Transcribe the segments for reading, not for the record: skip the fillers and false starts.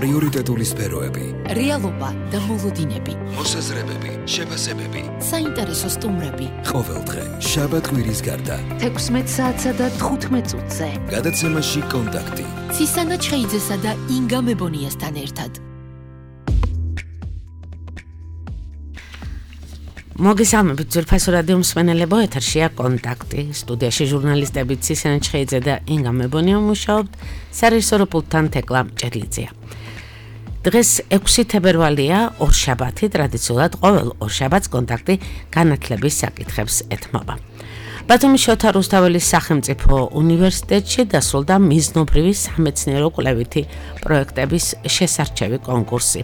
პრიორიტეტული სფეროები, რეალობა და მოლოდინები, მოსაზრებები, შეფასებები, საინტერესო სტუმრები. ყოველდღე, შაბათ-კვირის გარდა, 16 საათსა და 15 წუთზე. გადაცემაში კონტაქტი. ცისანა ჩხეიძესა და ინგა მებონიასთან ერთად. მოგესალმებით ძვირფასო რადიო მსმენელებო, ეთერშია კონტაქტი. სტუდიაში ჟურნალისტები ცისანა ჩხეიძე და ინგა მებონია მუშაობთ, სარეჟისორო პულტთან თეკლა მჭედლიძეა. დღეს 6 თებერვალია, ორშაბათი, ტრადიციულად ყოველ ორშაბათს კონტაქტი განათლების საკითხებს ეთმობა. ბათუმის შოთა რუსთაველის სახელმწიფო უნივერსიტეტში დასრულდა მიზნობრივი სამეცნიერო კვლევითი პროექტების შესარჩევი კონკურსი.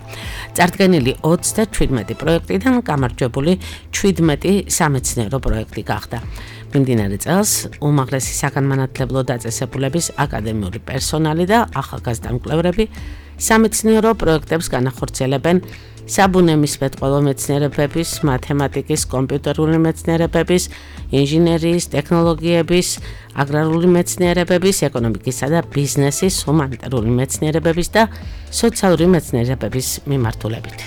წარდგენილი 37 პროექტიდან გამარჯვებული 17 სამეცნიერო პროექტი გახდა. მიმდინარე წელს უმაღლესი საგანმანათლებლო დაწესებულების აკადემიური პერსონალი და ახალგაზრდა მკვლევრები სამეცნიერო პროექტებს განახორციელებენ საბუნებისმეტყველო მეცნიერებების, მათემატიკის, კომპიუტერული მეცნიერებების, ინჟინერიის, ტექნოლოგიების, აგრარული მეცნიერებების, ეკონომიკისა და ბიზნესის, ჰუმანიტარული მეცნიერებების და სოციალური მეცნიერებების მიმართულებით.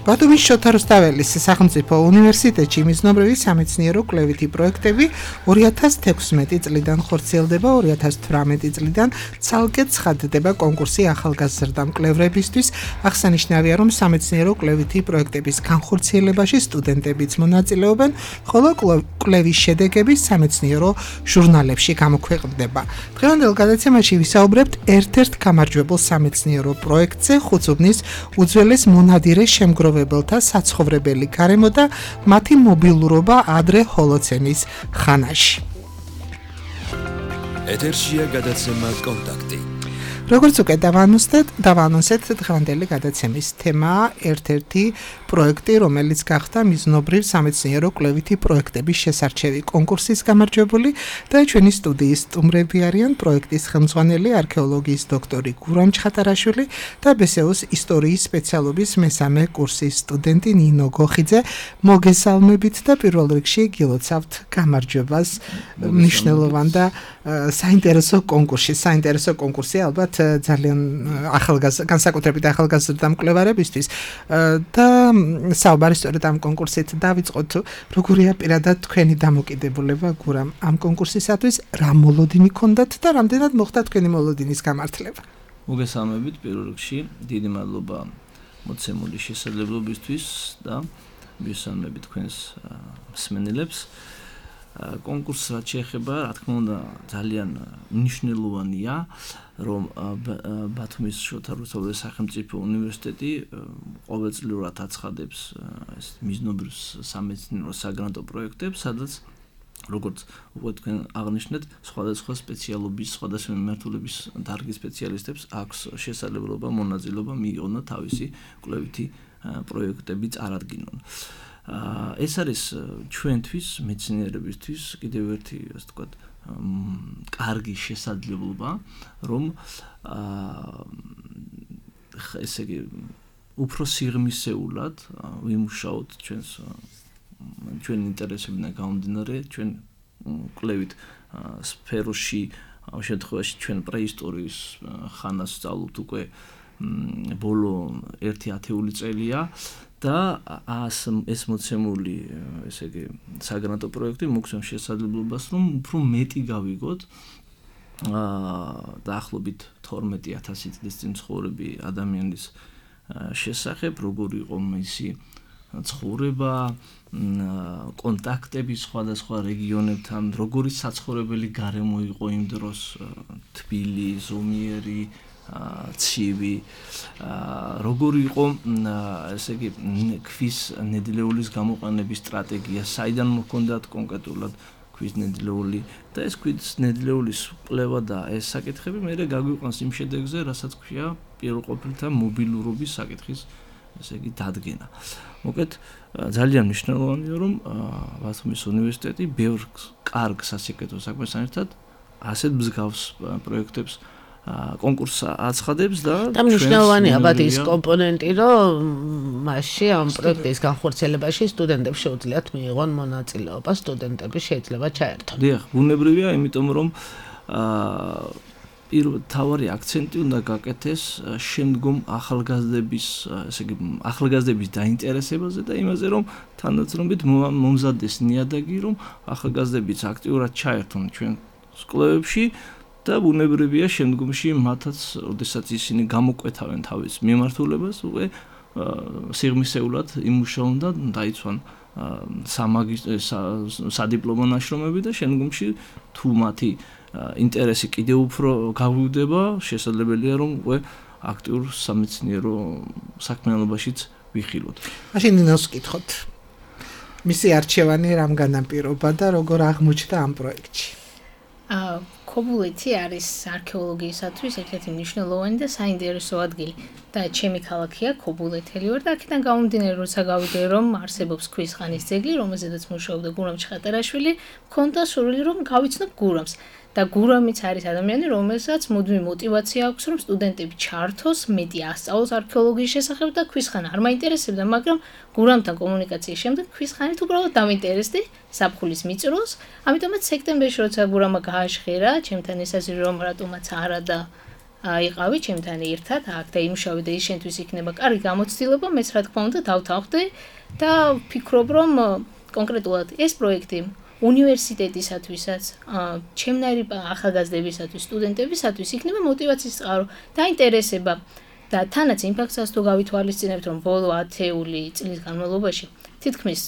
ბათუმის შოთა რუსთაველის სახელმწიფო უნივერსიტეტში მიზნობრივი სამეცნიერო კვლევითი პროექტები 2016 წლიდან ხორციელდება, 2018 წლიდან ცალკე ცხადდება კონკურსი ახალგაზრდა მკვლევრებისთვის. აღსანიშნავია, რომ სამეცნიერო კვლევითი პროექტების განხორციელებაში სტუდენტებიც მონაწილეობენ, ხოლო კვლევის შედეგები სამეცნიერო ჟურნალებში გამოქვეყნდება. დღევანდელ გადაცემაში ვისაუბრებთ ერთ-ერთ გამარჯვებულ სამეცნიერო პროექტზე, ხუცუბნის უძველეს მონადირე შემგროვებელთა საცხოვრებელი გარემო და მათი მობილურობა ადრე ჰოლოცენის ხანაში. ეთერშია გადაცემა კონტაქტი. როგორც უკვე დავანონსეთ, დღევანდელი გადაცემის თემაა ერთ-ერთი პროექტი, რომელიც გახდა მიზნობრივ სამეცნიერო კვლევითი პროექტების შესარჩევი კონკურსის გამარჯვებული და ჩვენი სტუდიის სტუმრები არიან პროექტის ხელმძღვანელი არქეოლოგიის დოქტორი გურამ ჩხატარაშვილი და ბესეუს ისტორიის სპეციალობის მესამე კურსის სტუდენტი ნინო გოხიძე. მოგესალმებით და პირველ რიგში გილოცავთ გამარჯვებას მნიშვნელოვან და საინტერესო კონკურსი ალბათ ძალიან განსაკუთრებით ახალგაზრდა მკვლევარებისთვის და საუბარი სწორედ ამ კონკურსით დავიწყოთ. როგორია პირადად თქვენი დამოკიდებულება გურამ ამ კონკურსისათვის, რა მოლოდინი ჰქონდათ და რამდენად მოხდა თქვენი მოლოდინის გამართლება? მოგესალმებით პირველ რიგში, დიდი მადლობა მოცემული შესაძლებლობისთვის და მისამები თქვენს მსმენელებს. კონკურსს რაც შეეხება, რა თქმა უნდა, ძალიან მნიშვნელოვანია, რომ ბათუმის შოთა რუსთაველის სახელმწიფო უნივერსიტეტი ყოველწლიურად აცხადებს ეს მიზნობრივ სამეცნიერო საგრანტო პროექტებს, სადაც როგორც უკვე თქვენ აღნიშნეთ, სხვადასხვა სპეციალობის, სხვადასხვა მიმართულების დარგის სპეციალისტებს აქვს შესაძლებლობა მონაწილეობა მიიღონ და თავისი კვლევითი პროექტები წარადგინონ. ეს არის ჩვენთვის, მეცნიერებისთვის კიდევ ერთი, ასე ვთქვათ, კარგი შესაძლებლობა, რომ ესე იგი უფრო სიღრმისეულად ვიმუშაოთ ჩვენ ინტერესებიდან გამომდინარე, ჩვენ კვლევით სფეროში, ამ შემთხვევაში ჩვენ პრეისტორიის ხანას სწავლობთ უკვე ბოლო 1 ათეული წელია. და ეს მოცემული ესე იგი საგრანტო პროექტი მოგცემს შესაძლებლობას, რომ უფრო მეტი გავიგოთ დაახლოებით 12,000 წლის წინ ცხოვრები ადამიანის შესახებ, როგორი იყო მისი ცხოვრება, კონტაქტები სხვადასხვა რეგიონებთან, როგორი საცხოვრებელი გარემო იყო იმ დროს, თბილი, ზომიერი, ცივი, როგორი იყო ესე იგი ქვის ნედლეულის გამოყენების სტრატეგია, საიდან მოქონდათ კონკრეტულად ქვის ნედლეული და ეს ქვის ნედლეულის კვლევა და ეს საკითხები მერე გაგვიყვანს იმ შედეგზე, რასაც ქვია პირველყოფილთა მობილურობის საკითხის ესე იგი დადგენა. მოკლედ ძალიან მნიშვნელოვანია, რომ ბათუმის უნივერსიტეტი ბევრ კარგ სასიკეთო საქმესთან ერთად ასეთ მსგავს პროექტებს კონკურსს აცხადებს და მნიშვნელოვანია ალბათ ის კომპონენტი, რომ მასში ამ პროექტის განხორციელებაში სტუდენტებს შეუძლიათ მიიღონ მონაწილეობა, სტუდენტები შეიძლება ჩაერთონ. დიახ, ბუნებრივია, იმიტომ რომ თავარი აქცენტი უნდა გაკეთეს შემდგომ ახალგაზრდების, ესე იგი ახალგაზრდების დაინტერესებაზე და იმაზე, რომ თანდათანობით მომზადდეს ნიადაგი, რომ ახალგაზრდებიც აქტიურად ჩაერთონ ჩვენ კვლევებში და ბუნებრივია შემდგომში მათაც, ოდესაც ისინი გამოკვეთავენ თავის მიმართულებას, უკვე სიღრმისეულად იმუშაონ და დაიცვან სადიპლომო ნაშრომები და შემდგომში თუ მათი ინტერესი კიდევ უფრო გავივდება, შესაძლებელია რომ უკვე აქტიურ სამეცნიერო საქმიანობაშიც ვიხილოთ. მაშინ ნინოს ვკითხოთ. მისი არჩევანი რამ განაპირობა და როგორ აღმოჩნდა ამ პროექტში? ქობულეთი არის არქეოლოგიისათვის ერთ-ერთი მნიშვნელოვანი და საინტერესო ადგილი და ჩემი ქალაქია ქობულეთელი ვარ და აქედან გამომდინარე როცა გავიგე რომ არსებობს ქვის ხანის ძეგლი, რომელზედაც მუშაობდა გურამ ჩხატარაშვილი, მქონდა სურვილი რომ გავიცნობ გურამს. და გურამიც არის ადამიანი, რომელსაც მუდმივი мотиваცია აქვს, რომ სტუდენტები ჩართოს, მეტი ასწავლოს არქეოლოგიის შესახებ და ქვის ხანა არ მაინტერესებდა, მაგრამ გურამთან კომუნიკაციის შემდეგ ქვის ხანით უბრალოდ დამინტერესდი საფხულის მიწროს, ამიტომაც სექტემბერში როცა გურამა გააჟღერა, ჩემთან ესაზღვრა რომ რატომაც არა და იყავი ჩემთან ერთად აქ და იმუშავე და ის შენთვის იქნება კარგი გამოცდილება, მეც რა თქმა უნდა დავთანხმდი და ვფიქრობ რომ კონკრეტულად ეს პროექტი უნივერსიტეტისათვისაც, ჩემნაირი ახალგაზრდებისათვის, სტუდენტებისათვის იქნება мотиваციის წყარო და ინტერესება და თანაც იმ ფაქტსაც თუ გავითვალისწინებთ, რომ ბოლო 10 წლის განმავლობაში თითქმის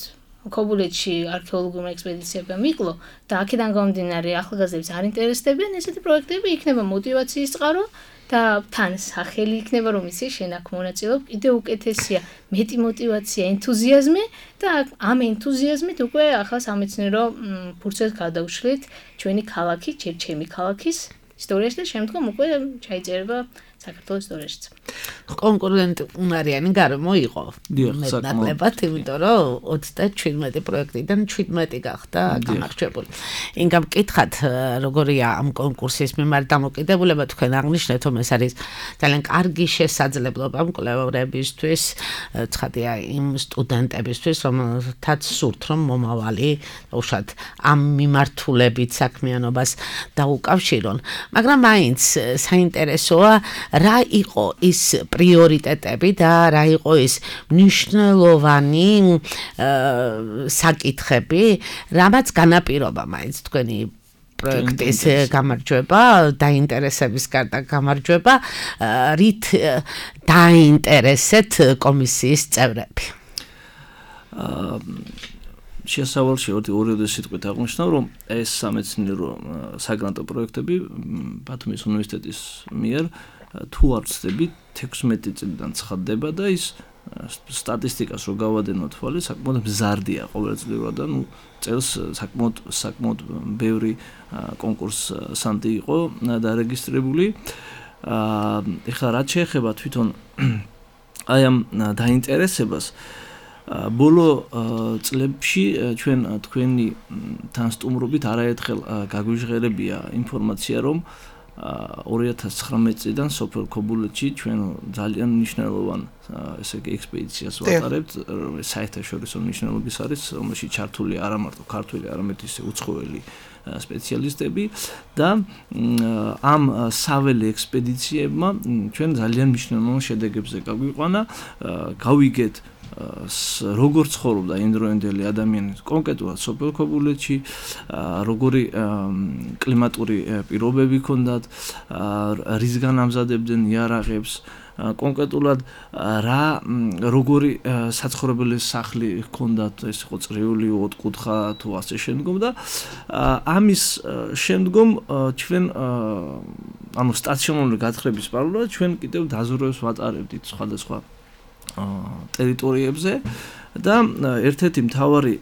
ქობულეთში არქეოლოგიურ ექსპედიციებმა მიკლო და აქედან გამომდინარე ახალგაზრდებს არ ინტერესდებიან ესეთი პროექტები იქნება мотиваციის წყარო და თან სახელი იქნება რომ ისი შენ აქ მონაწილეობ კიდევ უკეთესია მეტი мотиваცია ენთუზიაზმი და ამ ენთუზიაზმით უკვე ახლა სამეცნიერო ფურცელს გადავშლით ჩვენი ქალაქი ჯერ ჩემი ქალაქის ისტორიაში და შემდგომ უკვე ჩაიწერება საქართველოს ისტორიაშიც. კონკურენტი უნარიანი გარემო იყო. მეტნაკლებად, იმიტომ რომ 37 პროექტიდან 17 გახდა გამარჯვებული. ინგამ კითხათ, როგორია ამ კონკურსის მიმართ დამოკიდებულება, თქვენ აღნიშნეთ, რომ ეს არის ძალიან კარგი შესაძლებლობა მკვლევარებისთვის, ცხადია იმ სტუდენტებისთვის, რომელთაც სურთ, რომ მომავალი უშუალოდ ამ მიმართულებით საქმიანობას დაუკავშირონ. მაგრამ მაინც საინტერესოა რა იყო ის პრიორიტეტები და რა იყო ის მნიშვნელოვანი საკითხები, რამაც განაპირობა მაინც თქვენი პროექტის გამარჯვება, დაინტერესების გარდა გამარჯვება, რით დაინტერესეთ კომისიის წევრები? შესავალში ორი სიტყვით აღნიშნავ, რომ ეს სამეცნიერო საგრანტო პროექტები ბათუმის უნივერსიტეტის მიერ თუ არ ვცდები 16 წლიდან ცხადდება და ის სტატისტიკას რო გავადენოთ თვალე, საკმაოდ მზარდია ყოველწლიურად და წელს საკმაოდ ბევრი კონკურსანტი იყო დარეგისტრირებული. ეხლა რაც შეეხება თვითონ აი ამ დაინტერესებას ბოლო წლებში ჩვენ თქვენი თანსტუმრობით არაერთხელ გაგვიჟღერებია ინფორმაცია, რომ 2019 წლიდან სოფელ ქობულეთში ჩვენ ძალიან მნიშვნელოვან ესე იგი ექსპედიციას ვატარებთ, საერთაშორისო მნიშვნელობის არის, რომელშიც ჩართული არა მარტო ქართველი, არამედ ისე უცხოელი სპეციალისტები და ამ საველე ექსპედიციებმა ჩვენ ძალიან მნიშვნელოვან შედეგებზე გაგვიყვანა, გავიგეთ როგორ ცხოვრობდა იმდროინდელი ადამიანი კონკრეტულად სოფელ ქობულეთში, როგორი კლიმატური პირობები ჰქონდათ, რისგან ამზადებდნენ იარაღებს, კონკრეტულად როგორი საცხოვრებელი სახლი ჰქონდათ, ეს იყო წრიული, ოთხკუთხა თუ ასე შემდგომ და ამის შემდგომ ჩვენ ანუ სტაციონარული გათხრების პარალელურად ჩვენ კიდევ დაზვერვებს ვატარებდით სხვადასხვა ტერიტორიებზე და ერთ-ერთი მთავარი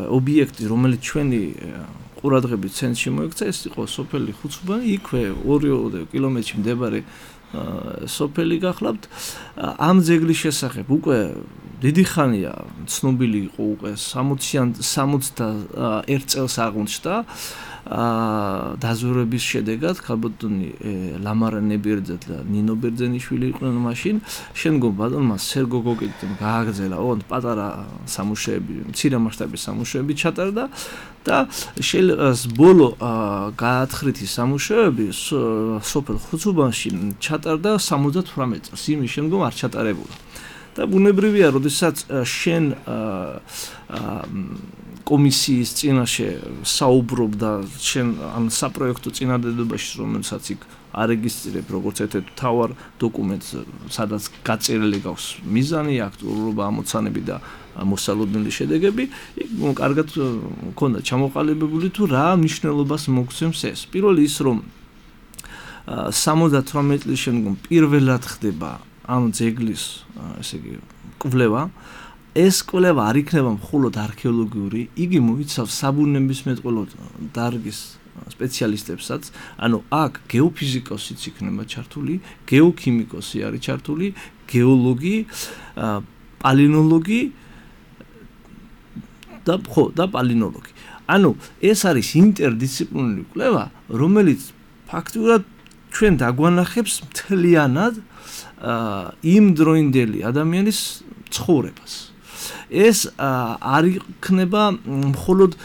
ობიექტი, რომელიც ჩვენი ყურადღების ცენტრში მოექცა, ეს იყო სოფელი ხუცუბა, იქვე 2 კილომეტრში მდებარე სოფელი გახლავთ. ამ ძეგლის შესახებ უკვე დიდი ხანია ცნობილი იყო, უკვე 61 წელს აღმოჩნდა დაზვერვების შედეგად ქალბატონი ლამარა ნებიერძე და ნინო ბერძენიშვილი იყვნენ მაშინ შემდგომ ბატონმა სერგო გოგიტი გააგრძელა ოღონდ პატარა სამუშაოები მცირე მასშტაბის სამუშაოები ჩატარდა და ბოლო გაათხრითი სამუშაოები სოფელ ხუცუბანში ჩატარდა 78 წელს იმის შემდგომ არ ჩატარებულა და ბუნებრივია როდესაც შენ კომისიის წინაშე საუბრობდა შენ ამ საპროექტო წინადადებაში რომელსაც იქ არეგისტრირებ როგორც ერთ-ერთ მთავარ დოკუმენტს სადაც გაწერილი გაქვს მიზანი აქტუალურობა ამოცანები და მოსალოდნელი შედეგები იქ კარგად მქონდა ჩამოყალიბებული თუ რა მნიშვნელობას მოგცემს ეს პირველი ის რომ 78 წლის შემდგომ პირველად ხდება ამ ძეგლის ესე იგი კვლევა ეს კვლევა არ იქნება მხოლოდ არქეოლოგიური იგი მოიცავს საბუნებისმეტყველო დარგის სპეციალისტებსაც ანუ აქ გეოფიზიკოსიც იქნება ჩართული გეოქიმიკოსი არის ჩართული გეოლოგი პალინოლოგი და პალინოლოგი ანუ ეს არის ინტერდისციპლინარული კვლევა რომელიც ფაქტურად ჩვენ დაგვანახებს მთლიანად იმ დროინდელი ადამიანის ცხოვრებას ეს არ იქნება მხოლოდ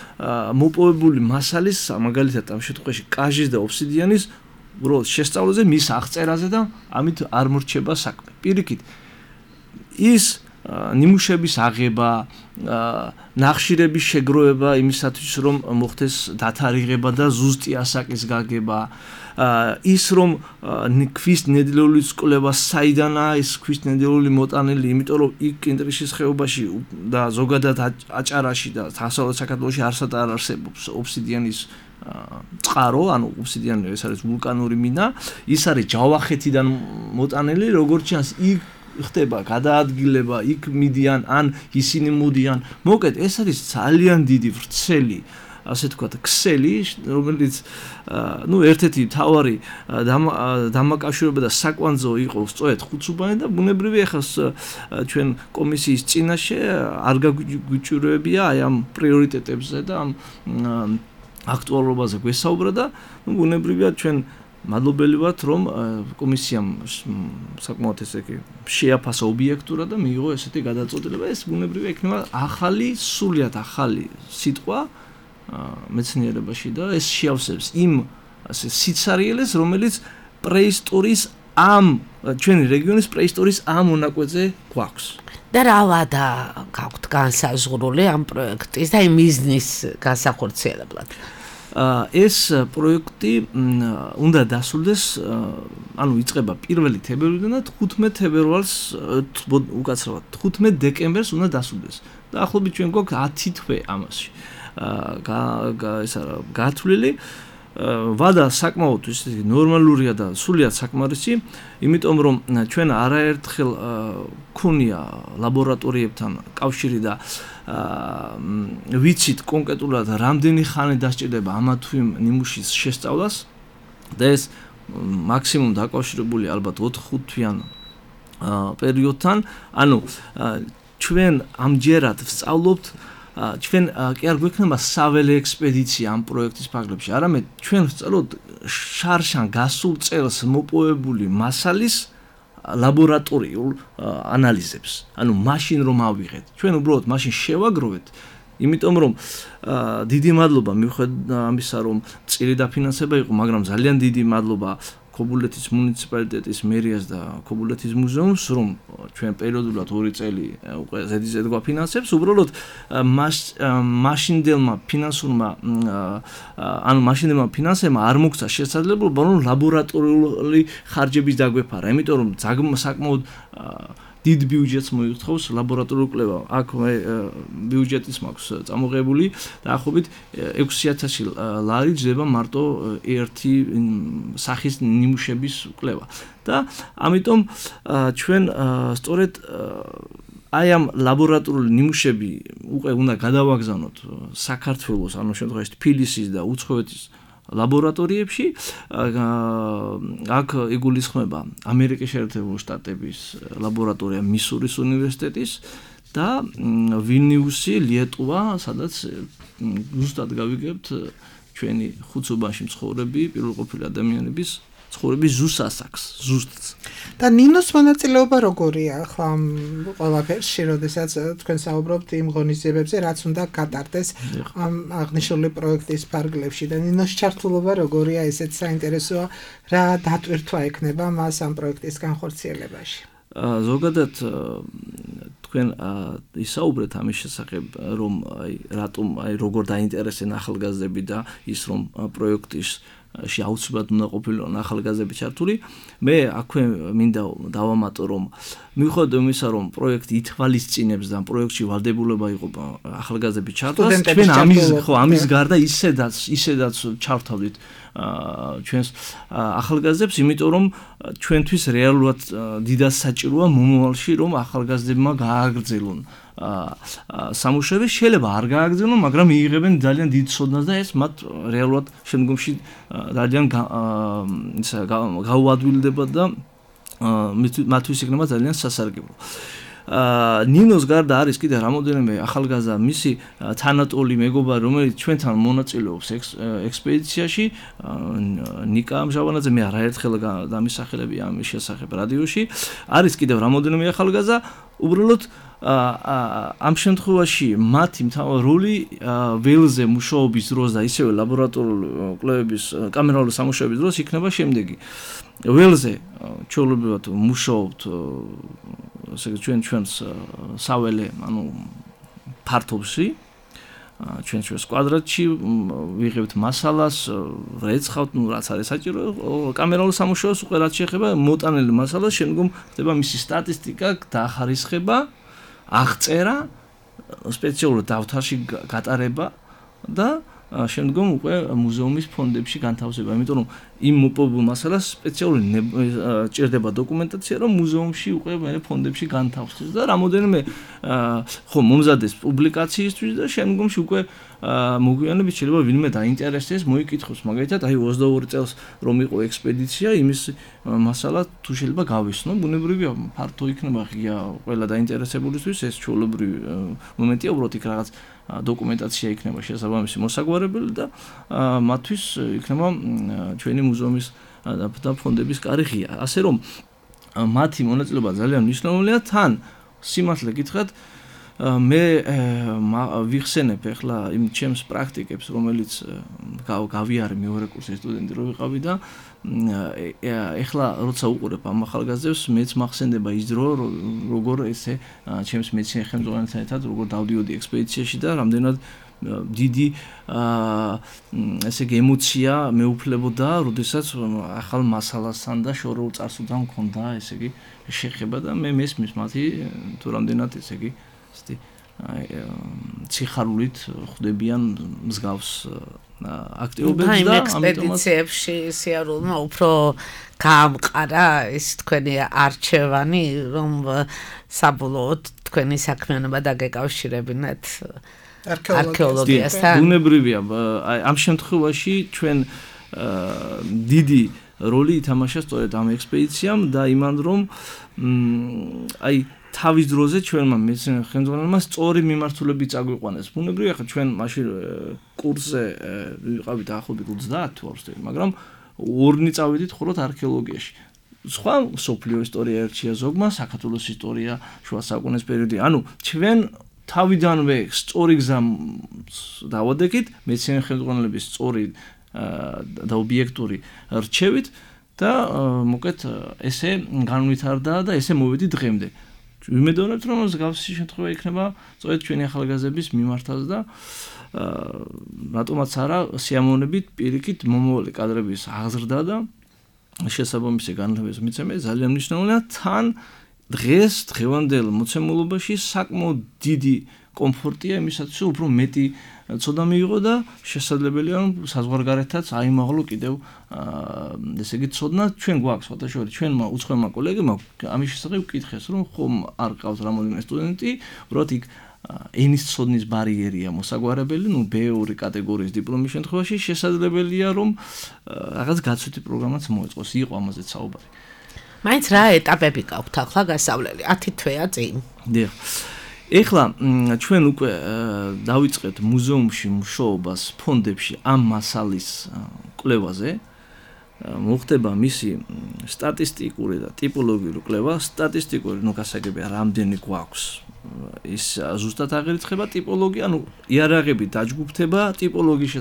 მოპოვებული მასალის მაგალითად ამ შემთხვევაში კაჟის და ოფსიდიანის უბრალოდ შესწავლაზე მის აღწერაზე და ამით არ მორჩება საქმე პირიქით ის ნიმუშების აღება ნახშირების შეგროვება იმისათვის რომ მოხდეს დათარიღება და ზუსტი ასაკის გაგება ის რომ ქვის ნედლეულის კვლევა საიდანაა ის ქვის ნედლეული მოტანილი იმიტომ რომ იქ კინტრიშის ხეობაში და ზოგადად აჭარაში და დასავლეთ საქართველოში არსად არ არსებობს ოფსიდიანის წყარო ანუ ოფსიდიანი ეს არის ვულკანური მინა ის არის ჯავახეთიდან მოტანილი როგორც ჩანს იქ ხდება გადაადგილება იქ მიდიან ან ისინი მოდიან მოკეთ ეს არის ძალიან დიდი ვრცელი ასე თქვა ქსელი რომელიც ნუ ერთ-ერთი მთავარი დამაკავშირება და საკვანძო იყო სწორედ ხუცუბანი და ბუნებრივია ახლა ჩვენ კომისიის წინაშე არ გაგვიჭიროებია აი ამ პრიორიტეტებზე და ამ აქტუალობაზე გვესაუბრა და ნუ ბუნებრივია ჩვენ მადლობელი ვართ რომ კომისიამ საკმაოდ ესე იგი შეაფასა ობიექტურად და მიიღო ესეთი გადაწყვეტილება ეს ბუნებრივია იქნება ახალი სულიად ახალი სიტყვა მეცნიერებაში და ეს შეავსებს იმ ასე სიცარიელეს რომელიც პრეისტორიის ამ ჩვენი რეგიონის პრეისტორიის ამ მონაკვეთზე გვაქვს და რა ვადა გაქვთ განსაზღვრული ამ პროექტის და იმ მიზნის განსახორციელებლად ეს პროექტი უნდა დასრულდეს ანუ იწყება 1 თებერვლიდან და 15 თებერვალს უკაცრავად 15 დეკემბერს უნდა დასრულდეს და ახლობით ჩვენ გვაქვს 10 თვე ამაში გათვლილი ვადა საკმაოდ ისეთი ნორმალურია და სულიად საკმარისი იმიტომ რომ ჩვენ არაერთხელ ქონია ლაბორატორიებთან კავშირი და ვიცით კონკრეტულად რამდენი ხანი დასჭირდება ამა თუ იმ ნიმუშის შესწავლას და ეს მაქსიმუმ დაკავშირებული ალბათ 4-5 თვიან პერიოდთან ანუ ჩვენ ამჯერად ვსწავლობთ ჩვენ კი არ გვექნება საველე ექსპედიცია ამ პროექტის ფარგლებში, არამედ ჩვენ ვსწავლობთ შარშან გასულ წელს მოპოვებული მასალის ლაბორატორიულ ანალიზებს. ანუ მაშინ რომ ავიღეთ, ჩვენ უბრალოდ მაშინ შევაგროვეთ, იმიტომ რომ დიდი მადლობა მიუხედავად ამისა რომ წილი დაფინანსება იყო, მაგრამ ძალიან დიდი მადლობა ქობულეთის მუნიციპალიტეტის მერიას და ქობულეთის მუზეუმს, რომ ჩვენ პერიოდულად 2 წელი უკვე ზედიზედ გვაფინანსებს, უბრალოდ მაშინდელმა ფინანსურმა ანუ მაშინდელმა ფინანსებმა არ მოგცა შესაძლებლობა რომ ლაბორატორიული ხარჯების დაგვეფარა, იმიტომ რომ საკმაოდ დიდ ბიუჯეტს მოითხოვს ლაბორატორიული კვლევა. აქ ბიუჯეტის მაქვს წამოღებული დაახლოებით 6000 ლარი ჯდება მარტო ერთი სახის ნიმუშების კვლევა. და ამიტომ ჩვენ სწორედ აი ამ ლაბორატორიული ნიმუშები უკვე უნდა გადავაგზავნოთ საქართველოს, ანუ შემთხვევაში თბილისის და უცხოეთის ლაბორატორიებში აქ იგულისხმება ამერიკის შეერთებული შტატების ლაბორატორია მისურის უნივერსიტეტის და ვილნიუსი, ლიეტუვა, სადაც ზუსტად გავიგებთ ჩვენი ხუცუბანში მცხოვრები პირველყოფილი ადამიანების ცხოვრების ზუსტასაკს, ზუსტს. და ნინოს მონაწილეობა როგორია ახლა ყველაფერში, როდესაც თქვენ საუბრობთ იმ ღონისძიებებზე, რაც უნდა გატარდეს ამ აღნიშნული პროექტის ფარგლებში და ნინოს ჩართულობა როგორია, ესეც საინტერესოა, რა დატვირთვა ექნება მას ამ პროექტის განხორციელებაში. ზოგადად თქვენ ისაუბრეთ ამის შესახებ, რომ რატომ როგორ დაინტერესენ ახალგაზრდები და ის რომ პროექტის აუცილებლად უნდა ყოფილიყო ახალგაზრდები ჩართული. მე აქვე მინდა დავამატო, რომ მიუხედავად იმისა, რომ პროექტი ითვალისწინებს და პროექტში ვალდებულება იყო ახალგაზრდები ჩართვას, ჩვენ ამის გარდა ისედაც ჩავთავდით ჩვენს ახალგაზრდებს, იმიტომ რომ ჩვენთვის რეალურად დიდად საჭიროა მომავალში, რომ ახალგაზრდებმა გააგრძელონ სამუშაოები, შეიძლება არ გააგრძელონ, მაგრამ მიიღებენ ძალიან დიდ ცოდნას და ეს მათ რეალურად შემდგომში ძალიან გაუადვილდება და მათთვის იქნება ძალიან სასარგებლო. ნინოს გარდა არის კიდე რამოდენიმე ახალგაზრდა მისი თანატოლი მეგობარი, რომელიც ჩვენთან მონაწილეობს ექსპედიციაში, ნიკა ამჟავანაძე, მე არაერთხელ დამისახელებია ამის შესახებ რადიოში. არის კიდევ რამოდენიმე ახალგაზრდა, უბრალოდ ამ შემთხვევაში მათი როლი ველზე მუშაობის დროს და ისევე ლაბორატორიული კვლევების კამერალური სამუშაოების დროს იქნება შემდეგი. ველზე ჩვეულებრივად მუშაობთ ჩვენს საველე, ანუ ფართობში, ჩვენს კვადრატში ვიღებთ მასალას, რეცხავთ, რაც არის საჭირო კამერალურ სამუშაოს, უკვე რაც შეეხება მოტანილი მასალას, შემდგომ ხდება მისი სტატისტიკა, დაახარისხება, აღწერა, სპეციალურ დავთარში გატარება და შემდგომ უკვე მუზეუმის ფონდებში განთავსება, იმიტომ რომ იმ მოპოვებულ მასალას სპეციალური ჭირდება დოკუმენტაცია, რომ მუზეუმში უკვე მე ფონდებში განთავსდეს და რამოდენიმე მომზადეს პუბლიკაციისთვის და შემდგომში უკვე მოგვიანებით შეიძლება ვინმე დაინტერესდეს, მოიკითხოს, მაგალითად, 22 წელს რომ იყო ექსპედიცია, იმის მასალა თუ შეიძლება გავისნო, ბუნებრივია, ფართო იქნება ღია ყველა დაინტერესებულისთვის, ეს ჩვეულებრივი მომენტია, უბრალოდ იქ რაღაც დოკუმენტაცია იქნება შესაბამისი მოსაგვარებელი და მათთვის იქნება ჩვენი მუზეუმის და ფონდების კარი ღია. ასე რომ მათი მონაწილეობა ძალიან მნიშვნელოვანია. თან სიმართლე გითხრათ, მე ვიხსენებ ახლა იმ ჩემს პრაქტიკებს, რომელიც გავიარე მეორე კურსის სტუდენტი რო ვიყავი და ახლა როცა უყურებ ამ ახალგაზრდებს, მეც მახსენდება ის დრო, როგორ ესე ჩემს მეცნიერ ხელმძღვანელთან ერთად როგორ დავდიოდი ექსპედიციაში და რამდენად დიდი ესე იგი ემოცია მეუფლებოდა, როდესაც ახალ მასალასთან და შორეულ წარსულთან მქონდა ესე იგი შეხება და მე მესმის მათი თუ რამდენად ესე იგი ციხარულით ხვდებიან მსგავს აქტიობებს და ექსპედიციებში სიარულმა უფრო გაამყარა ეს თქვენი არჩევანი, რომ საბოლოოდ თქვენი საქმიანობა დაგეკავშირებინათ არქეოლოგიასთან. ბუნებრივია, ამ შემთხვევაში ჩვენ დიდი როლი ითამაშა სწორედ ამ ექსპედიციამ და იმან რომ თავის დროზე ჩვენმა მეცნიერ ხელმძღვანელმა სწორი მიმართულებით წაგვიყვანეს. ბუნებრივია, ხა ჩვენ მაშინ კურსზე ვიყავით დაახლოებით 30 თუ არ ვცდები, მაგრამ ორნი წავედით ხოლმე არქეოლოგიაში. სხვა სოფლიო ისტორია ერჩია ზოგმა, საქართველოს ისტორია, შუა საუკუნის პერიოდი. ანუ ჩვენ თავიდანვე სწორი გზა დავადექით, მეცნიერ ხელმძღვანელების სწორი და ობიექტური რჩევით და მოკეთ ესე განვითარდა და ესე მოვედი დღემდე. ვიმედოვნებთ, რომ მსგავსი შემთხვევა იქნება სწორედ ჩვენი ახალგაზრდების მიმართაც და რატომაც არა სიამოვნებით პირიქით მომავალი კადრების აღზრდა და შესაბამისი განვითარების მიცემა ძალიან მნიშვნელოვანია. თან დღევანდელ მოცემულობაში საკმაოდ დიდი კომფორტია იმისათვის, უფრო მეტი ცოდნა მიიღო და შესაძლებელია რომ საზღვარგარეთაც აიმაღლო კიდევ ესე იგი ცოდნა ჩვენ გვაქვს ფოტოშორი ჩვენმა უცხოელმა კოლეგებმა ამის შესახებ ვკითხეს რომ ხომ არ ყავს რამოდენიმე სტუდენტი უბრალოდ იქ ენის ცოდნის ბარიერია მოსაგვარებელი, ნუ B2 კატეგორიის დიპლომის შემთხვევაში შესაძლებელია რომ რაღაც გაცვლითი პროგრამაც მოეწყოს, იყო ამაზე საუბარი. მაინც რა ეტაპები გაქვთ ახლა გასავლელი 10 თვეა წინ. დიახ. ეხლა ჩვენ უკვე დავიწყეთ მუზეუმში მუშაობას ფონდებში ამ მასალის კვლევაზე. მოხდება მისი სტატისტიკური და ტიპოლოგიური კვლევა. სტატისტიკური გასაგებია რამდენი გვაქვს. ის ზუსტად აღირიცხება ტიპოლოგია, იარაღები დაჯგუფდება ტიპოლოგიის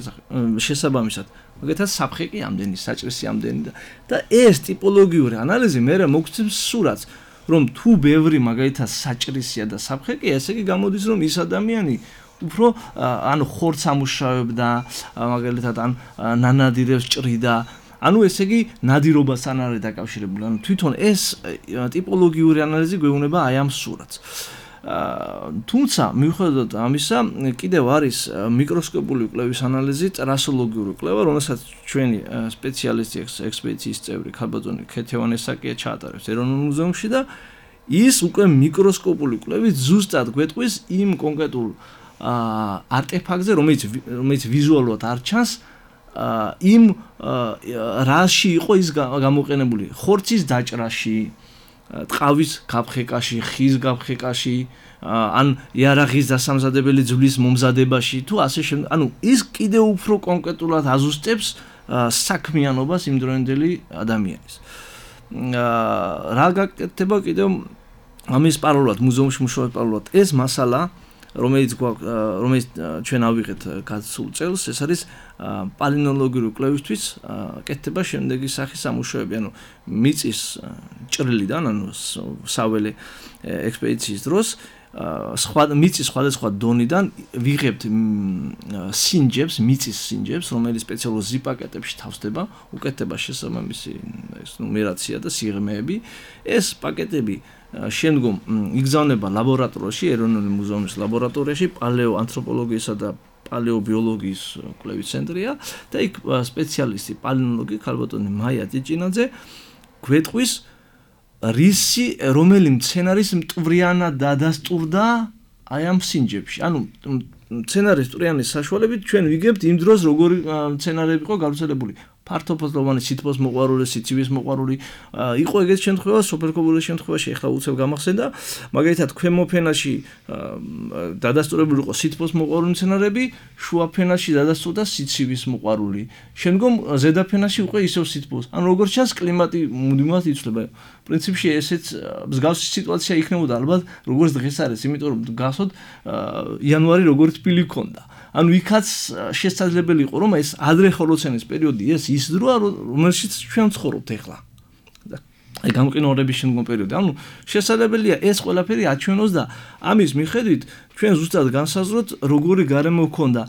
შესაბამისად. მაგალითად საფხე კი ამდენი, საჭრესი ამდენი და ეს ტიპოლოგიური ანალიზი მე მოგცემს სურათს, რომ თუ ბევრი მაგალითად საჭრესია და საფხე კი, ესე იგი გამოდის, რომ ის ადამიანი უფრო ხორცს ამუშავებდა, მაგალითად ნანადირებს ჭრიდა. ესე იგი ნადირობასთან არის დაკავშირებული. თვითონ ეს ტიპოლოგიური ანალიზი გვეუბნება აი ამ სურათს. თუმცა მიუხედავად ამისა, კიდევ არის მიკროსკოპული კვლევის ანალიზი, ტრასოლოგიური კვლევა, რომელსაც ჩვენი სპეციალისტი ექსპედიციის წევრი ქალბატონი ქეთევანესაკია ჩაატარებს ეროვნულ მუზეუმში და ის უკვე მიკროსკოპული კვლევით ზუსტად გვეტყვის იმ კონკრეტულ არტეფაქტზე, რომელიც ვიზუალურად არ ჩანს, იმ რაში იყო ის გამოყენებული, ხორცის დაჭრაში, ტყავის გაფხეკაში, ხის გაფხეკაში, ან იარაღის დასამზადებელი ძვლის მომზადებაში, თუ ასე შემდეგ. ის კიდევ უფრო კონკრეტულად აზუსტებს საქმიანობას იმდროინდელი ადამიანის. რა გაკეთდება კიდევ ამის პარალელურად, მუზეუმში მუშაობის პარალელურად ეს მასალა, რომელიც ჩვენ ავიღეთ გასულ წელს, ეს არის პალინოლოგიური კვლევისთვის კეთდება შემდეგი სახის სამუშაოები, მიწის ჭრილიდან, საველე ექსპედიციის დროს მიწის სხვადასხვა დონიდან ვიღებთ სინჯებს, მიწის სინჯებს, რომელიც სპეციალურ ზიპაკეტებში თავსდება, უკეთდება შესაბამისი ნუმერაცია და სიღრმეები. ეს პაკეტები შემდგომ იგზავნება ლაბორატორიაში, ეროვნული მუზეუმის ლაბორატორიაში, პალეოანთროპოლოგიისა და პალეობიოლოგიის კვლევის ცენტრია და იქ სპეციალისტი პალინოლოგი ქალბატონი მაია ჭიჭინაძე გვეტყვის რომელი მცენარის მტვრიანად დადასტურდა აი ამ სინჯებში. მცენარის მტვრიანის საშუალებით ჩვენ ვიგებთ იმ დროს როგორი მცენარეები იყო გავრცელებული. ფართოფოთლოვანი, სითბოს მოყვარული, სიცივის მოყვარული, იყო ეგეთ შემთხვევა, სოფელკობულის შემთხვევაში ახლა უცებ გამახსენდა, მაგალითად ქვემო ფენაში დადასტურებული იყო სითბოს მოყვარული მცენარეები, შუა ფენაში დადასტურდა სიცივის მოყვარული. შემდგომ ზედა ფენაში უკვე ისევ სითბოს. როგორც ჩანს, კლიმატი მუდმივად იცვლება. პრინციპში ესეც მსგავსი სიტუაცია იქნებოდა ალბათ, როგორც დღეს არის, იმიტომ რომ გასვოთ იანვარი როგორც თბილი ქონდა. იქაც შესაძლებელი იყო, რომ ეს ადრე ჰოლოცენის პერიოდი ის დროა, რომელშიც ჩვენ ვცხოვრობთ ახლა. აი გამყინვარების შემდგომ პერიოდი. შესაძლებელია ეს ყველაფერი აჩვენოს და ამის მიხედვით ჩვენ ზუსტად განსაზღვროთ, როგორი გარემო ჰქონდა.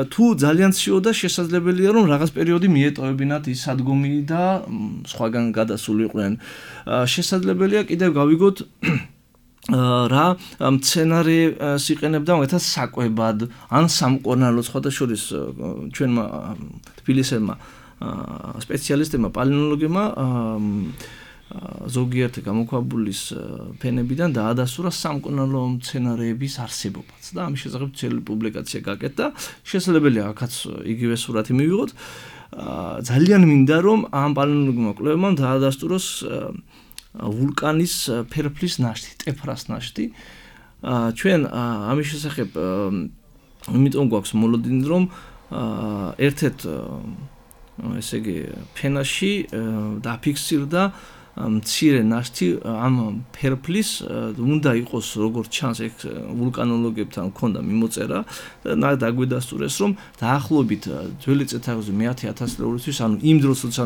თუ ძალიან ციოდა, შესაძლებელია, რომ რაღაც პერიოდი მიეტოვებინათ ის სადგომი და სხვაგან გადასულიყვნენ. შესაძლებელია კიდევ გავიგოთ რა მცენარეს იყენებდა მაგალითად საკვებად ან სამკურნალოდ სხვადასხვა ჩვენმა თბილისელმა სპეციალისტებმა პალინოლოგებმა ზოგიერთი გამოქვაბულის ფენებიდან დაადასტურა სამკურნალო მცენარეების არსებობაც და ამის შესახებ ძველი პუბლიკაცია გაკეთდა. შესაძლებელია აქაც იგივე სურათი მივიღოთ. ძალიან მინდა რომ ამ პალინოლოგებმა კვლევებმა დაადასტუროს ვულკანის ფერფლის ნაშთი, ტეფრას ნაშთი. ჩვენ ამის შესახებ იმიტომ გვაქვს მოლოდინი, რომ ერთ-ერთ ესე იგი ფენაში დაფიქსირდა მცირე ნაშთი ამ ფერფლის, უნდა იყოს როგორც ჩანს ეგ ვულკანოლოგებთან მქონდა მიმოწერა და დაგვედასტურეს, რომ დაახლოებით ძველი წელთაღრიცხვის მე-10,000 წლისთვის, იმ დროს როცა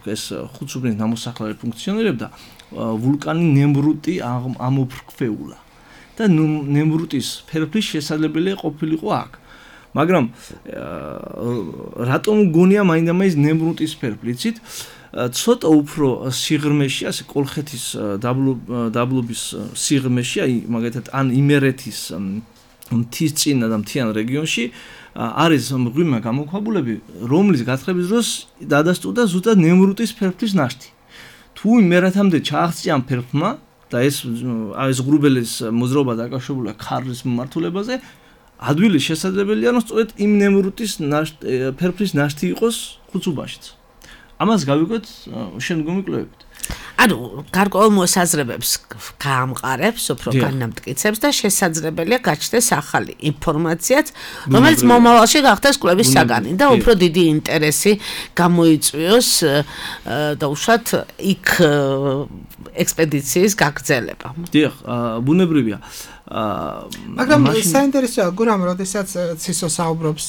ეს ხუთსუბნის ნამოსახლარი ფუნქციონირებდა, ვულკანი ნემრუტი ამოფრქვეულა და ნემრუტის ფერფლის შესაძლებელია ყოფილიყო აქ. მაგრამ რატომ გონია მაინდა-მაინც ნემრუტის ფერფლიცით ცოტა უფრო სიღრმეში, ასე კოლხეთის დაბლობის სიღრმეში, აი მაგალითად ან იმერეთის მთის წინა და მთიან რეგიონში არის მღვიმე გამოქვაბულები, რომლის გათხრების დროს დადასტურდა ზუსტად ნემრუტის ფერფლის ნაშთი. თუ იმერეთამდე ჩააღწია ამ ფერფლმა და ეს ღრუბელის მოძრაობა დაკავშირებულია ქარლის მიმართულებაზე, ადვილი შესაძლებელია, რომ სწორედ იმ ნემრუტის ფერფლის ნაშთი იყოს ხუცუბაშიც. ამას გავიგოთ შემდგომი კვლევებით. ანუ გარკვეულ მოსაზრებებს გაამყარებს, უფრო განამტკიცებს და შესაძლებელია გაჩნდეს ახალი ინფორმაციაც, რომელიც მომავალში გახდეს კვლევის საგანი და უფრო დიდი ინტერესი გამოიწვიოს და უშუალოდ იქ ექსპედიციის გაგრძელება. დიახ, ბუნებრივია. მაგრამ საინტერესოა გურამ, როდესაც ცისო საუბრობს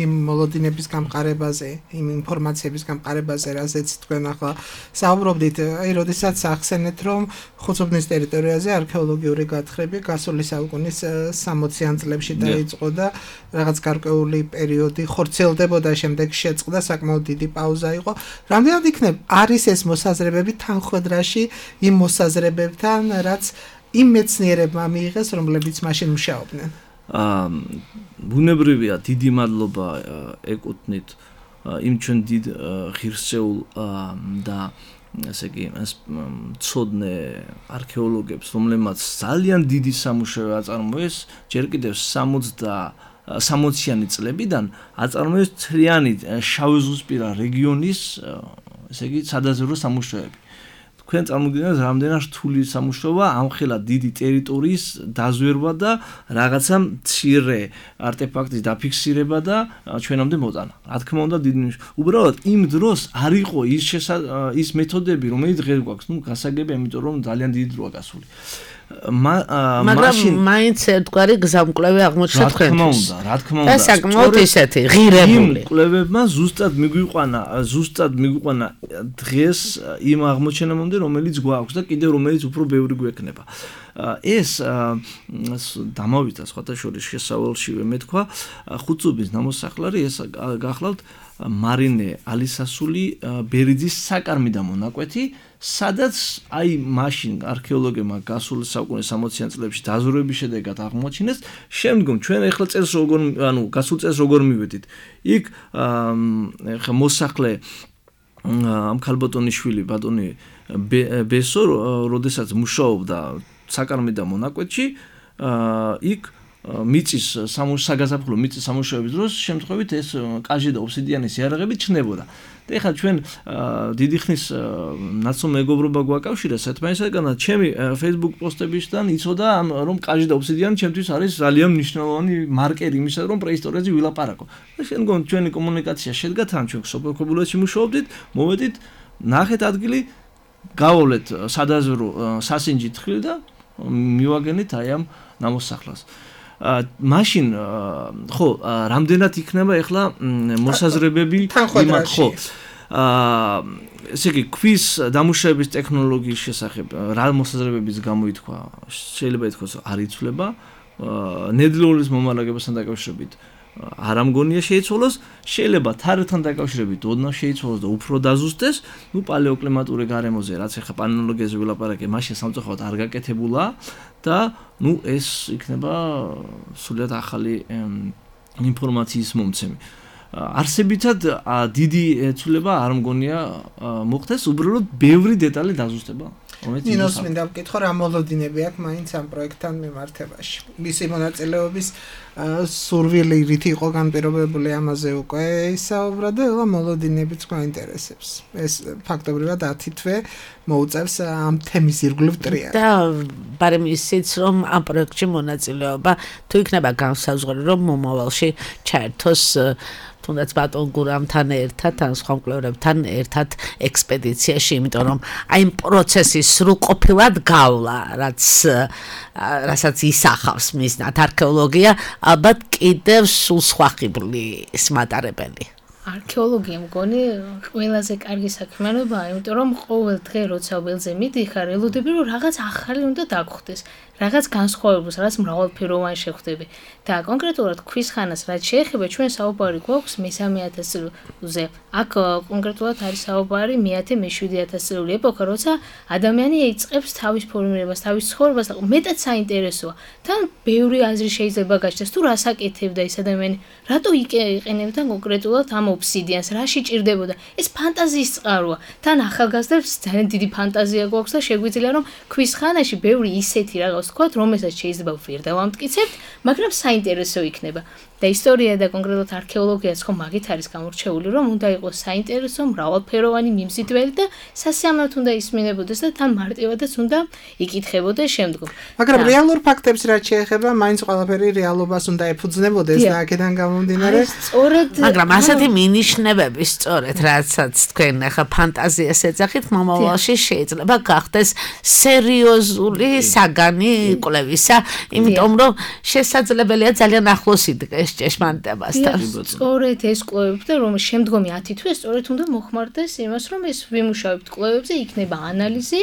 იმ მოლოდინების გამყარებაზე, იმ ინფორმაციების გამყარებაზე, რაზეც თქვენ ახლა საუბრობდით, როდესაც ახსენეთ, რომ ხუცუბნის ტერიტორიაზე არქეოლოგიური გათხრები გასული საუკუნის 60-იან წლებში დაიწყო და რაღაც გარკვეული პერიოდი ხორციელდებოდა, შემდეგ შეწყდა, საკმაოდ დიდი პაუზა იყო. რამდენად იქნებ არის ეს მოსაზრებები თანხვედრაში იმ მოსაზრებებთან, რაც იმ მეცნიერებმა მიიღეს, რომლებიც მაშინ მუშაობდნენ. ბუნებრივია, დიდი მადლობა ეკუთვნით იმ ჩვენ დიდ ღირსეულ და ასე იგი ცოდნე არქეოლოგებს, რომლებმაც ძალიან დიდი სამუშაო აწარმოეს, ჯერ კიდევ 60-იანი წლებიდან აწარმოეს მთლიანი შავიზღვისპირა რეგიონის, ესე იგი, სადაზვერვო სამუშაოები. თქვენ წარმოგიდგენთ, რამდენად რთული სამუშაოა ამხელა დიდი ტერიტორიის დაზვერვა და რაღაცა მცირე არტეფაქტის დაფიქსირება და ჩვენამდე მოტანა. რა თქმა უნდა, დიდი უბრალოდ იმ დროს არ იყო ის მეთოდები, რომელიც დღეს გვაქვს, გასაგებია, იმიტომ რომ ძალიან დიდი დროა გასული. მაგრამ მაინც ერთგვარი გზამკვლევი აღმოჩნდა თქვენთვის. რა თქმა უნდა. და საკმაოდ ისეთი ღირებული. კვლევებმა ზუსტად მიგვიყვანა დღეს იმ აღმოჩენამდე, რომელიც გვაქვს და კიდევ რომელიც უფრო ბევრი გვექნება. ეს დამავიდა სხვათა შორის შესავალშივე მეთქვა ხუცუბის ნამოსახლარი, ეს გახლავთ მარინე ალისასული ბერიძის საკარმიდა მონაკვეთი, სადაც აი მაშინ არქეოლოგებმა გასული საუკუნის 60-იან წლებში დაზვერვების შედეგად აღმოაჩინეს. შემდგომ ჩვენ ახლა წელს გასულ წელს როგორ მივედით. იქ ხა მოსახლე ამ ქალბატონიშვილი ბატონი ბესო, როდესაც მუშაობდა საკარმიდა მონაკვეთში, იქ მიწის საგაზაფხულო მიწის სამუშაოების დროს შემთხვევით ეს კაჟი და ობსიდიანის იარაღები ჩნდებოდა. და ეხლა ჩვენ დიდი ხნის ნაცნობ მეგობრობა გვაკავშირა ერთმანეთსაგან და ჩემი Facebook პოსტებისგან იცოდა რომ კაჟი და ობსიდიანი ჩემთვის არის ძალიან მნიშვნელოვანი მარკერი იმისა, რომ პრეისტორიაზე ვილაპარაკო. და შემდგომ ჩვენი კომუნიკაცია შედგა თან, ჩვენ სოფელ ქობულეთში მუშაობდით, მოვედით, ნახეთ ადგილი, გავავლეთ სადაზვერვო სასინჯი თხილი და მივაგენით აი ამ ნამოსახლარს. მაშინ ხო, რამდენად იქნება ახლა მოსაზრებები იმათ, ხო. ესე იგი, ქვის დამუშავების ტექნოლოგიის შესახებ რა მოსაზრებებიც გამოითქვა, შეიძლება ითქვას, არ იცვლება. ნედლეულის მომარაგებასთან დაკავშირებით არ ამგონია შეიცვალოს, შეიძლება თარიღთან დაკავშირებით ოდნავ შეიცვალოს და უფრო დაზუსტდეს. პალეოკლიმატური გარემოზე, რაც ახლა პანელოლოგიაზე ვილაპარაკე, მაშინ სამწუხაროდ არ გაკეთებულა და ეს იქნება სულად ახალი ინფორმაციის მომცემი. არსებითად დიდი ცვლილება არ მგონია მოხდეს, უბრალოდ ბევრი დეტალი დაზუსტება. ნინოს მინდა ვკითხო, რა მოლოდინები აქვს მაინც ამ პროექტთან მიმართებაში. მისი მონაწილეობის სურვილი რით იყო განპირობებული, ამაზე უკვე ისაუბრა და ეხლა მოლოდინებიც გვაინტერესებს. ეს ფაქტობრივად 10 თვე მოუწევს ამ თემის ირგვლივ ტრიალს. და ბარემ ისიც რომ ამ პროექტში მონაწილეობა თუ იქნება განსაზღვრული, რომ მომავალში ჩაერთოს თუნდაც ბატონ გურამთან ერთად, ან სხვა მკვლევარებთან ერთად ექსპედიციაში, იმიტომ რომ აი იმ პროცესის სრულყოფილად გავლა, რასაც ისახავს მიზნად არქეოლოგია, ალბათ კიდევ სულ სხვა ხიბლის მატარებელი. არქეოლოგია მგონი ყველაზე კარგი საქმიანობაა, იმიტომ რომ ყოველ დღე როცა ველზე მიდიხარ, ელოდები რომ რაღაც ახალი უნდა დაგხვდეს, რაღაც განსხვავებულს, რაღაც მრავალფეროვანი შეხვდები. და კონკრეტულად ქვის ხანას რაც შეეხება, ჩვენ საუბარი გვაქვს მე-3000 წელზე. აქ კონკრეტულად არის საუბარი მე-7-7 წლიური ეპოქა, როცა ადამიანი იწყებს თავის ფორმირებას, თავის ცხოვრებას, მეტად საინტერესოა. თან ბევრი აზრი შეიძლება გაჩნდეს, თუ რას აკეთებდა ეს ადამიანი, რატო იყენებდა კონკრეტულად ამ ობსიდიანს, რაში ჭირდებოდა. ეს ფანტაზიის წყაროა. თან ახალგაზრდებს ძალიან დიდი ფანტაზია გვაქვს და შეგვიძლია რომ ქვის ხანაში ბევრი ისეთი რაღაც თქვათ, რომელსაც შეიძლება ვერ დავამტკიცებთ, მაგრამ საინტერესო იქნება. და ისტორია და კონკრეტულად არქეოლოგიაც ხომ მაგით არის გამორჩეული, რომ უნდა იყოს საინტერესო, მრავალფეროვანი, მიმზიდველი და სასიამოვნოდ უნდა ისმინებოდეს და თან მარტივადაც უნდა იკითხებოდეს შემდგომ. მაგრამ რეალურ ფაქტებს რაც შეეხება, მაინც ყველაფერი რეალობას უნდა ეფუძნებოდეს და აქედან გამომდინარე. სწორედ, მაგრამ ასეთი მინიშნებები სწორედ რაცაც თქვენ ახლა ფანტაზიას ეძახით, მომავალში შეიძლება გახდეს სერიოზული საგანი კვლევისა, იმიტომ რომ შესაძლებელია ძალიან ახლოს იდგეს ჭეშმარიტებასთან. სწორედ ეს კვლევები და რომ შემდგომი 10 თვე სწორედ უნდა მოხმარდეს იმას, რომ ეს ვიმუშავებთ კვლევებზე, იქნება ანალიზი,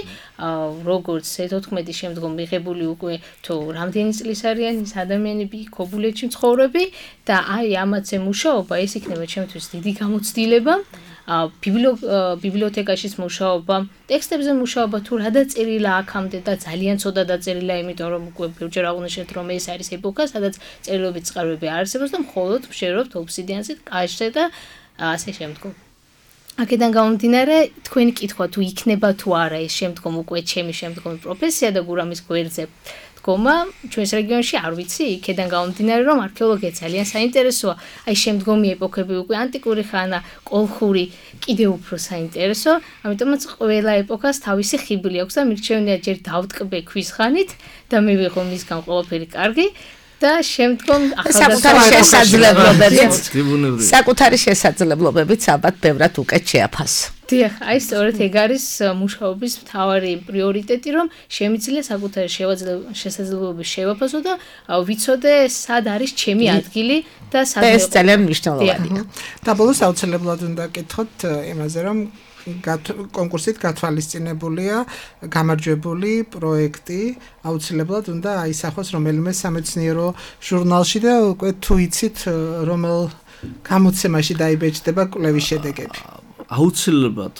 როგორც C14 შემდგომ მიღებული უკვე თუ რამდენი წლის არიან ის ადამიანები ქობულეთში მცხოვრები და აი ამაზე მუშაობა ეს იქნება ჩემთვის დიდი გამოცდილება. ბიბლიოთეკაშიც მუშაობა, ტექსტებზე მუშაობა თუ რა დაწერილა აქამდე და ძალიან ცოტა დაწერილა, იმიტომ რომ უკვე ბევრჯერ აღვნიშნეთ, რომ ეს არის ეპოქა, სადაც წერილობით წყაროები არ არსებობს და მხოლოდ ვშერობთ ობსიდიანზე, კაშზე და ასე შემდგომ. აქედან გამომდინარე, თქვენი კითხვა თუ იქნება თუ არა ეს შემდგომ უკვე ჩემი შემდგომი პროფესია და გურამის გვერდზე დგომა ჩვენს რეგიონში არ ვიცი, იქედან გამომდინარე, რომ არქეოლოგია ძალიან საინტერესოა. აი შემდგომი ეპოქები უკვე ანტიკური ხანა, კოლხური კიდევ უფრო საინტერესო, ამიტომაც ყველა ეპოქას თავისი ხიბლი აქვს და მირჩევნია ჯერ დავტკბე ქვის ხანით და მივიღო მისგან ყველაფერი კარგი. და შემდგომ საკუთარი შესაძლებლობებით ალბათ ბევრად უკეთ შეაფასო. დიახ, აი სწორედ ეგ არის მუშაობის მთავარი პრიორიტეტი, რომ შემიძლია საკუთარი შესაძლებლობები შევაფასო და ვიცოდე სად არის ჩემი ადგილი და სად ეს ძალიან მნიშვნელოვანია. და ბოლოს აუცილებლად უნდა გკითხოთ იმაზე, რომ კონკურსით გათვალისწინებულია გამარჯვებული პროექტი, აუცილებლად უნდა აისახოს რომელიმე სამეცნიერო ჟურნალში და უკვე თუ იცით რომელ გამოცემაში დაიბეჭდება კვლევის შედეგები. აუცილებლად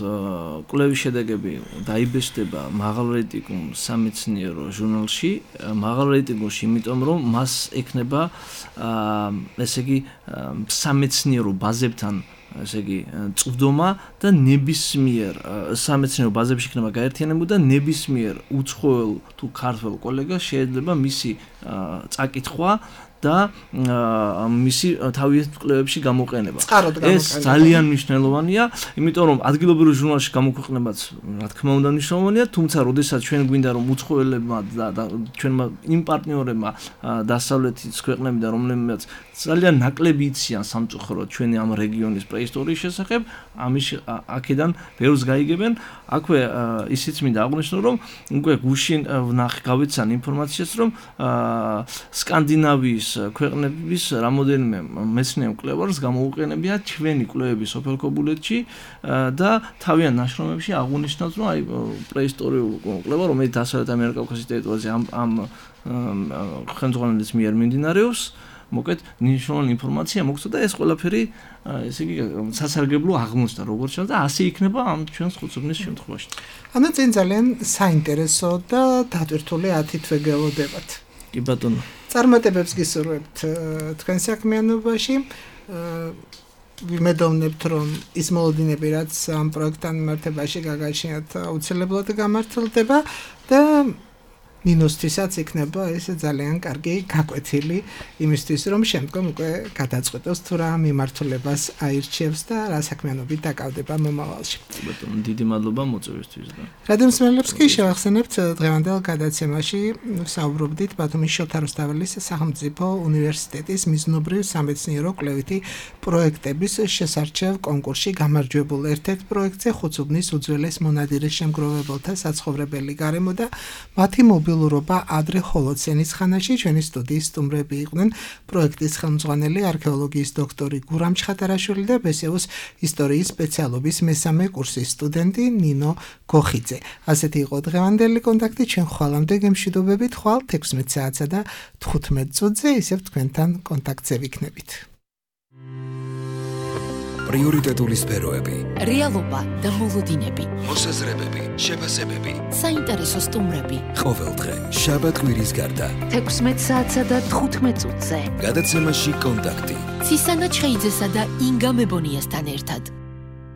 კვლევის შედეგები დაიბეჭდება მაღალრეიტინგულ სამეცნიერო ჟურნალში, მაღალრეიტინგულში, იმიტომ რომ მას ექნება ესე იგი სამეცნიერო ბაზებთან ესე იგი წვდომა და ნებისმიერ სამეცნიერო ბაზებში იქნება გაერთიანებული და ნებისმიერ უცხოელ თუ ქართველ კოლეგას შეიძლება მისი წაკითხვა და მისი თავის კვლევებში გამოყენება. ეს ძალიან მნიშვნელოვანია, იმიტომ რომ ადგილობრივ ჟურნალში გამოქვეყნებაც რა თქმა უნდა მნიშვნელოვანია, თუმცა როდესაც ჩვენ გვინდა რომ უცხოელებმა და ჩვენმა იმ პარტნიორებმა დასავლეთის ქვეყნებიდან რომლებიც ძალიან ნაკლები იციან სამწუხაროდ ჩვენი ამ რეგიონის პრეისტორიის შესახებ, ამის აქედან ბევრს გაიგებენ. აქვე ისიც მინდა აღვნიშნო, რომ უკვე გუშინ გავიცან ინფორმაციას, რომ სკანდინავიის ქვეყნების რამოდენიმე მეცნიერ მკვლევარს გამოუყენებია ჩვენი კვლევები სოფელ ქობულეთში და თავიანთ ნაშრომებში აღვნიშნავს, რომ აი პრეისტორიული კვლევა, რომელიც დასავლეთ ამიერკავკასიის ტერიტორიაზე ამ ხელმძღვანელის მიერ მიმდინარეობს, მოკეთ მნიშვნელოვანი ინფორმაცია მოგცვა და ეს ყველაფერი ესე იგი სასარგებლო აღმოჩნდა როგორც ჩანს და ასე იქნება ამ ჩვენს ხუთწუთის შემთხვევაში. ანუ წინ ძალიან საინტერესო და დატვირთული 10 თვე გელოდებათ. კი ბატონო. წარმატებებს გისურვებთ თქვენ საქმიანობაში. ვიმედოვნებთ, რომ ის მოლოდინები, რაც ამ პროექტთან მიმართებაში გაგაჩნიათ, აუცილებლად გამართლდება და ნინოსთვისაც იქნება ეს ძალიან კარგი გაკვეთილი იმისთვის, რომ შემდგომ უკვე გადაწყვეტოს თუ რა მიმართულებას აირჩევს და რა საქმიანობით დაკავდება მომავალში. ბატონო, დიდი მადლობა მოწვევისთვის და. რადიომსმენელებს კი შევახსენებთ დღევანდელ გადაცემაში საუბრობდით ბათუმის შოთა რუსთაველის სახელმწიფო უნივერსიტეტის მიზნობრივ სამეცნიერო კვლევითი პროექტების შესარჩევ კონკურსში გამარჯვებულ ერთ-ერთ პროექტზე ხუთწუთის უძველეს მონადირის შემგროვებელთა საცხოვრებელი გარემო და მათი მობილურობა ადრე ჰოლოცენის ხანაში. ჩვენი სტუდიის სტუმრები იყვნენ პროექტის ხელმძღვანელი არქეოლოგიის დოქტორი გურამ ჩხატარაშვილი და ბესეუს ისტორიის სპეციალობის მესამე კურსის სტუდენტი ნინო გოხიძე. ასეთი იყო დღევანდელი კონტაქტი. ჩვენ ხვალამდე გემშვიდობებით, ხვალ 16 საათსა და 15 წუთზე ისევ თქვენთან კონტაქტზე ვიქნებით. პრიორიტეტული სფეროები, რეალობა და მოლოდინები, მოსაზრებები, შეფასებები, საინტერესო სტუმრები. ყოველდღე შაბათ-კვირის გარდა 16 საათსა და 15 წუთზე. გადაცემაში კონტაქტი. ცისანა ჩხეიძესა და ინგა მებონიასთან ერთად.